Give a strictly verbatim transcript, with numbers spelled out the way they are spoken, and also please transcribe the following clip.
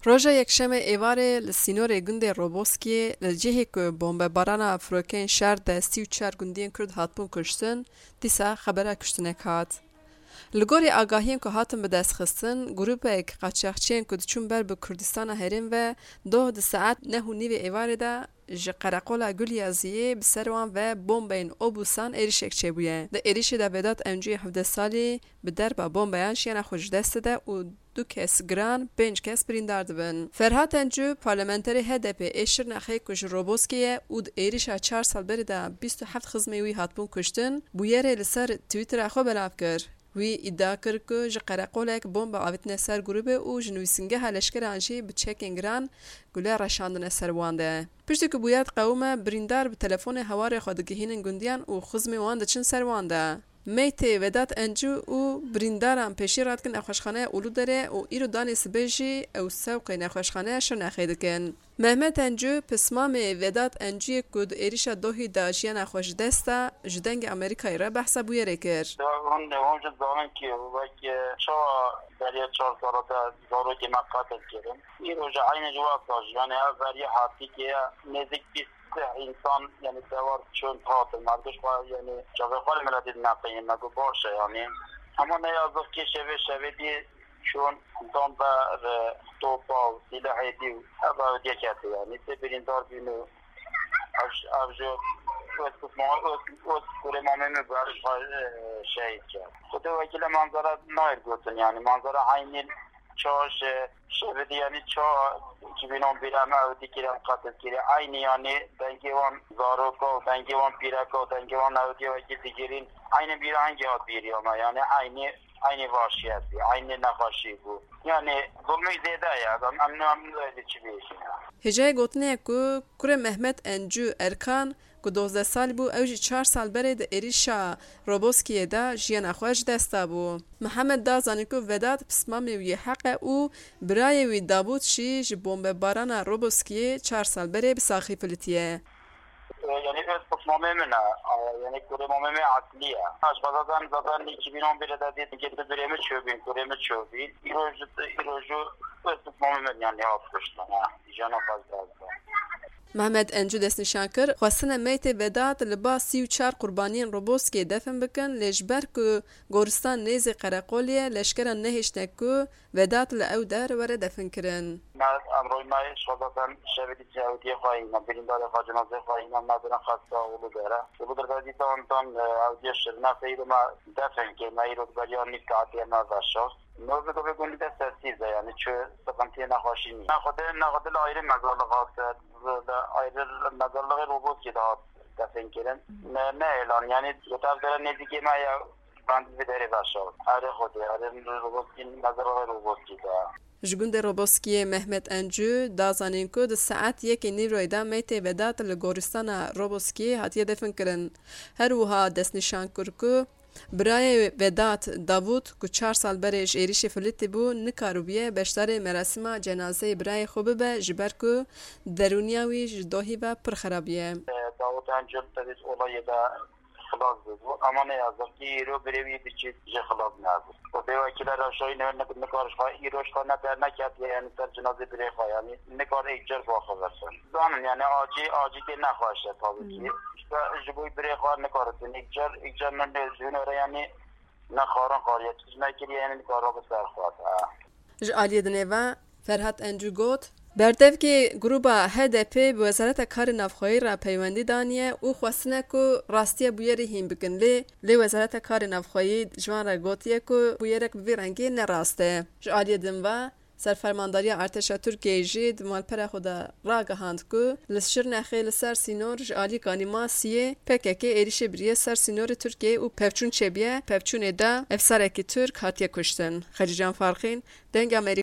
Roja Yekşemê êvarê li sînorê gundê Roboskiyê li cihê ku bombebarana firokeyên şer de sî û çar gundiyên Kurd hatibûn kuştin, dîsa xebera kuştinek hat. Li gorî agahiyên ku hatin bidestxistin, grûpek qaçaxçiyên ku diçûn ber bi Kurdistana Herêm ve doh di saet neh û nîvê êvarê de ji qereqola Guliyaziyê bi ser wan ve bombeyên obûsan êrişek çêbûye. Di êrişê de Vedat Encûyê hevdeh salî bi derba bombeyan jiyana xwe ji dest dide û du kes giran, pênc kes birîndar dibin. Ferhat Encû, parlamenterê H D P ê Şirnexê ku ji Roboskê ye û di êrişa çar sal berê de bîst û heft xizmê wî hatibûn kuştin, bûyerê li ser Twittera xwe belav kir. Wî îdia kir ku ji qereqolek bombe avêtine ser grûbê û ji nivîsingeha leşkeran jî bi çekên giran gule reşandine ser wan de. Piştî ku bûyer diqewime, birîndar bi telefonê hewarê xwe digihînin gundiyan û xizmên wan diçin ser wan de. Meytê Vedat Encû û birîndaran pêşî radikin nexweşxaneya Uluderê û îro danê sibê jî ew sewqê nexweşxaneya Şirnexê dikin. Mehmet Encû, pismamê Vedat Encûyê ku di êrişa dohî de jiyana xwe ji dest da, ji Dengê Amerîkayê re behsa bûyerê kir. Hûn, hûn jî zanin ki wek, e, çawa beriya çar sala de zarokê me qetil kirin. Îro jî eynî ji wexta jî, yani ev beriya heptîkê ye, nêzik bîst însan, yani dewar çûn hatin. Merdiş xwe, yani çavê xwe li miletê neqeyî, me got baş e, yani. Ama ne yazık ki şevê, şevê dî çûn dan ber, e, topa û silahê dî û ev ew diye kete, yani. Sê birîndar bîn û ev, ev ji öz kutma, öz, öz kurê mamê min ber xwe, e, şehîd kir. Xwedê wekîle manzara nayê gotin, yani. Manzara eynî çawa ji şevê dî, yani çawa iki bin on bir em ew dî kirin, qetil kirin. Eynî, yani dengê wan zaroka û dengê wan pîreka û dengê wan ew dî wekî digirîn. Eynî bîra hingê hat bîriya me, yani eynî, eynî vahşiyet bî, eynî nexweşî bû. Yani zulmê zêde ye, em, em, em, em çi bêjin ya. Hêjayê gotinê ye ku kurê Mehmet Encû Erkan, ku dozdeh salî bû, ew jî çar sal berê di êrişa Roboskiyê de jiyana xwe ji dest dabû. Mihemed da zanîn ku Vedat pismamê wî yê heq e û birayê wî Davût jî ji bombebarana Roboskiyê çar sal berê bi saxî filitiye. E, yani öz pismamê min e. E, yani kurê mamê min eslî ye. Ji xwe zaten, zaten iki bin on bir de dît, gê tu birê min çûbîn, kurê min çûbîn. Îro ji, îro ji öz pismamê min yani hat kuştin, ha. Jiyana xwe ji dest da. Mehmet Encû destnîşan kir, xwestine meytê Vedat li ba sî û çar qurbaniyên Roboskê defin bikin, lê ji ber ku goristan nêzî qereqolê ye, leşkeran nehêştine ku Vedat li ew der were definkirin. Me emroyê me ji xwe zaten şevê dî ewdiyê xwe hîna, birîndarê xwe, cenazeyê xwe hîna, me birin xesta Uludere. Uludere dîsa ondan, e, ewdiyê Şirnexê, îro me defin kir, me îro beriya nîv saetê me veşart. Nozê gavê gundî de sessîz e, yani çi sıkıntıyê nexweşî nî. Ne xwedê, ne xwedê li ayrı mezarlık hat, li ayrı mezarlığı Roboskî de hat defin kirin. Ne, ne elan, yani gotav dere nêzîkê me ya, ben bir dere veşart. Erê xwedê, erê Roboskî, mezarlığı Roboskî de. Ji gundê Roboskiyê Mehmet Encû da zanîn ku di saet yekê nîvroyê de meytê Vedat li goristana Roboskiyê hatiye defin kirin. Her wiha destnîşan kir ku Birayê Vedat, Davut, ku çar sal berê ji êrişê filitî bû, nikaribûye beşdarê merasîma cenazeyê birayê xwe bibe, ji ber ku derûniya wî ji dohî ve pir xera bûye. Davut Encû tevî olayê de xilas bûbû, ama ne yazık ki îro birê wî biçî jî xilas nebû. Xwedê wekîle rewşa wî ne, ne, nikar ji xwe, îro ji xwe ne derneketiye, yani ser cenazê birê xwe, yani nikar êk car biaxivirtin. Zanin, yani acî, acî tê nexweş e tabii ki. Hmm. Ji bo birê xwe nikare tu nêkcar, îcar min lê ji hûn re, yanî ne xarin xariye, tu ji me kiriye, yanî nikare bi ser xwe. Ha. Ji aliyê dinê ve Ferhat Encû got, berdevkê grûba H D P bi Wezareta Karê Navxweyî re peywendî daniye û xwestine ku rastiya bûyerê hîn bikin, lê, lê Wezareta Karê Navxweyî ji wan re gotiye ku bûyerek bi vî rengî ne rast e. Ji aliyê din ve, Serfermandariya Artêşa Tirkiyeyê jî di malpera xwe de ragihand ku li Şirnexê li ser sînor ji alî kanî masiyê P K K êrîşê biriye ser sînorê Tirkiyeyê û pevçûn çêbiye. Pevçûnê de efserekî Tirk hatiye kuştin. Xecîcan Farqîn, Dengê Amerîka.